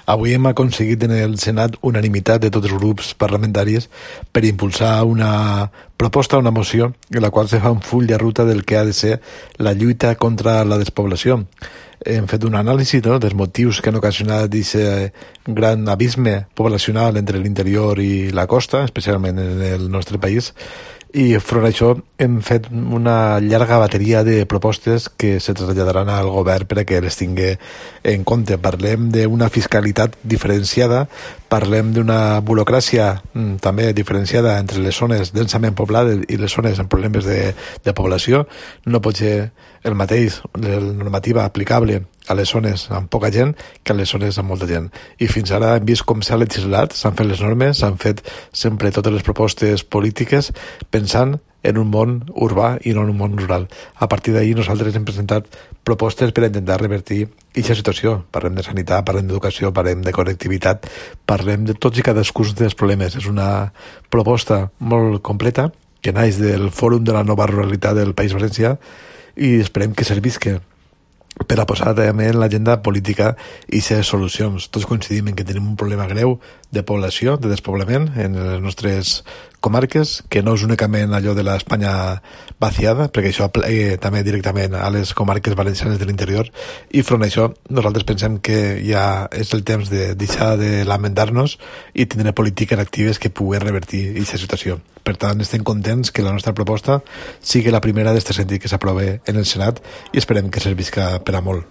Avui hem aconseguit en el Senat unanimitat de tots els grups parlamentaris per impulsar una proposta, una moció, en la qual se fa un full de ruta del que ha de ser la lluita contra la despoblació. Hem fet un anàlisi dels motius que han ocasionat aquest gran abisme poblacional entre l'interior i la costa, especialment en el nostre país, i front a això hem fet una llarga bateria de propostes que se traslladaran al govern per a que les tingui en compte. Parlem d'una fiscalitat diferenciada, parlem d'una burocràcia també diferenciada entre les zones densament poblades i les zones amb problemes de població. No pot ser el mateix la normativa aplicable a les zones amb poca gent que a les zones amb molta gent. I fins ara hem vist com s'ha legislat, s'han fet les normes, s'han fet sempre totes les propostes polítiques pensant en un món urbà i no en un món rural. A partir d'ahir nosaltres hem presentat propostes per intentar revertir aquesta situació. Parlem de sanitat, parlem d'educació, parlem de connectivitat, parlem de tots i cadascun dels problemes. És una proposta molt completa que naix del Fòrum de la Nova Ruralitat del País Valencià i esperem que servisca per a posar també en l'agenda política i ser solucions. Tots coincidim en que tenim un problema greu de població, de despoblament en les nostres comarques, que no és únicament allò de l'Espanya vaciada, perquè això aplega també directament a les comarques valencianes de l'interior, i front a això nosaltres pensem que ja és el temps de deixar de lamentar-nos i tindre polítiques actives que pugui revertir aquesta situació. Per tant, estem contents que la nostra proposta sigui la primera d'este sentit que s'aprove en el Senat i esperem que servisca per a molt.